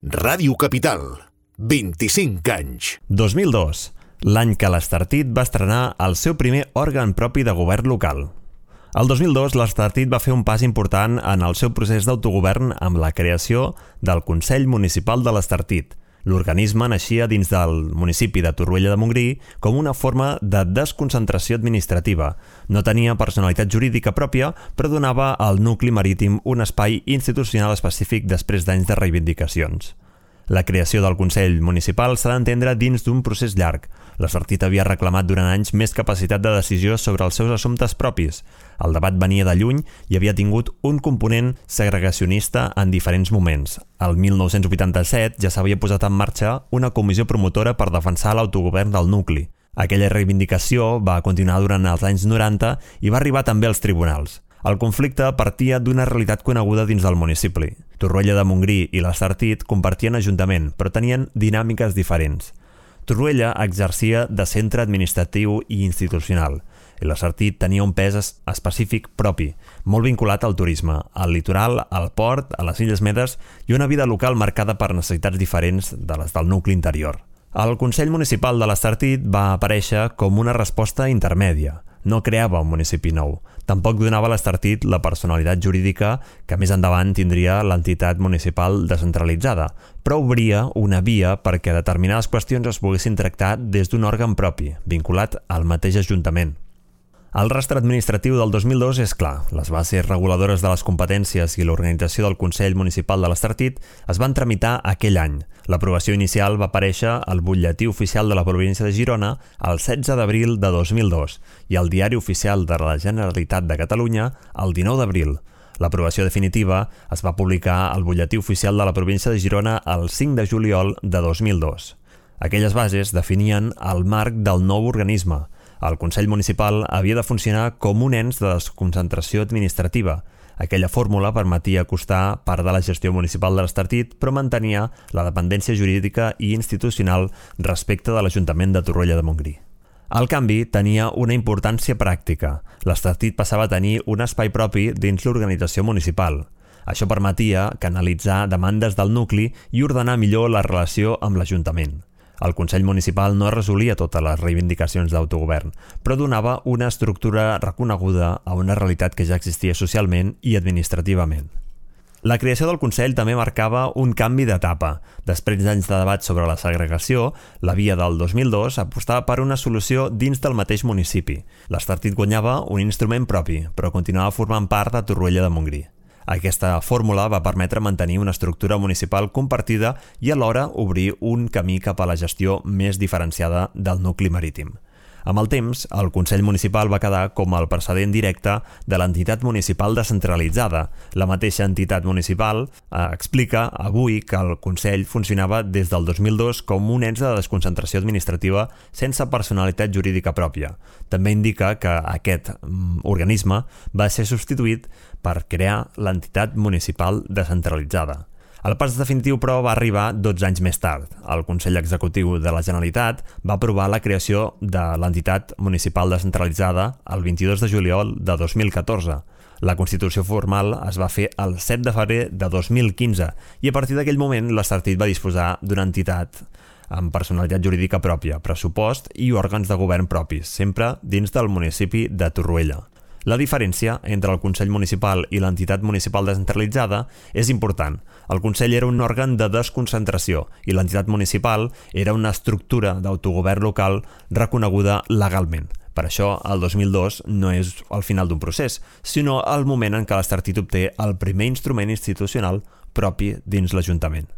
Ràdio Capital, 25 anys. 2002, l'any que l'Estartit va estrenar el seu primer òrgan propi de govern local. El 2002, l'Estartit va fer un pas important en el seu procés d'autogovern amb la creació del Consell Municipal de l'Estartit. L'organisme naixia dins del municipi de Torroella de Montgrí com una forma de desconcentració administrativa. No tenia personalitat jurídica pròpia, però donava al nucli marítim un espai institucional específic després d'anys de reivindicacions. La creació del Consell Municipal s'ha d'entendre dins d'un procés llarg. L'Estartit havia reclamat durant anys més capacitat de decisió sobre els seus assumptes propis. El debat venia de lluny i havia tingut un component segregacionista en diferents moments. El 1987 ja s'havia posat en marxa una comissió promotora per defensar l'autogovern del nucli. Aquella reivindicació va continuar durant els anys 90 i va arribar també als tribunals. El conflicte partia d'una realitat coneguda dins del municipi. Torroella de Montgrí i l'Estartit compartien ajuntament, però tenien dinàmiques diferents. Torroella exercia de centre administratiu i institucional, i l'Estartit tenia un pes específic propi, molt vinculat al turisme, al litoral, al port, a les Illes Medes i una vida local marcada per necessitats diferents de les del nucli interior. El Consell Municipal de l'Estartit va aparèixer com una resposta intermèdia. No creava un municipi nou. Tampoc donava a l'Estartit la personalitat jurídica que més endavant tindria l'entitat municipal descentralitzada, però obria una via perquè determinades qüestions es poguessin tractar des d'un òrgan propi, vinculat al mateix Ajuntament. El rastre administratiu del 2002 és clar. Les bases reguladores de les competències i l'organització del Consell Municipal de l'Estartit es van tramitar aquell any. L'aprovació inicial va aparèixer al Butlletí Oficial de la Província de Girona el 16 d'abril de 2002 i al Diari Oficial de la Generalitat de Catalunya el 19 d'abril. L'aprovació definitiva es va publicar al Butlletí Oficial de la Província de Girona el 5 de juliol de 2002. Aquelles bases definien el marc del nou organisme. El Consell Municipal havia de funcionar com un ens de desconcentració administrativa. Aquella fórmula permetia acostar part de la gestió municipal de l'Estartit, però mantenia la dependència jurídica i institucional respecte de l'Ajuntament de Torroella de Montgrí. El canvi tenia una importància pràctica. L'Estartit passava a tenir un espai propi dins l'organització municipal. Això permetia canalitzar demandes del nucli i ordenar millor la relació amb l'Ajuntament. El Consell Municipal no resolia totes les reivindicacions d'autogovern, però donava una estructura reconeguda a una realitat que ja existia socialment i administrativament. La creació del Consell també marcava un canvi d'etapa. Després d'anys de debat sobre la segregació, la via del 2002 apostava per una solució dins del mateix municipi. L'Estartit guanyava un instrument propi, però continuava formant part de Torroella de Montgrí. Aquesta fórmula va permetre mantenir una estructura municipal compartida i alhora obrir un camí cap a la gestió més diferenciada del nucli marítim. Amb el temps, el Consell Municipal va quedar com el precedent directe de l'entitat municipal descentralitzada. La mateixa entitat municipal explica avui que el Consell funcionava des del 2002 com un ens de desconcentració administrativa sense personalitat jurídica pròpia. També indica que aquest organisme va ser substituït per crear l'entitat municipal descentralitzada. El pas definitiu, però, va arribar 12 anys més tard. El Consell Executiu de la Generalitat va aprovar la creació de l'entitat municipal descentralitzada el 22 de juliol de 2014. La constitució formal es va fer el 7 de febrer de 2015 i a partir d'aquell moment l'Estartit va disposar d'una entitat amb personalitat jurídica pròpia, pressupost i òrgans de govern propis, sempre dins del municipi de Torroella. La diferència entre el Consell Municipal i l'entitat municipal descentralitzada és important. El Consell era un òrgan de desconcentració i l'entitat municipal era una estructura d'autogovern local reconeguda legalment. Per això, el 2002 no és el final d'un procés, sinó el moment en què l'Estartit obté el primer instrument institucional propi dins l'Ajuntament.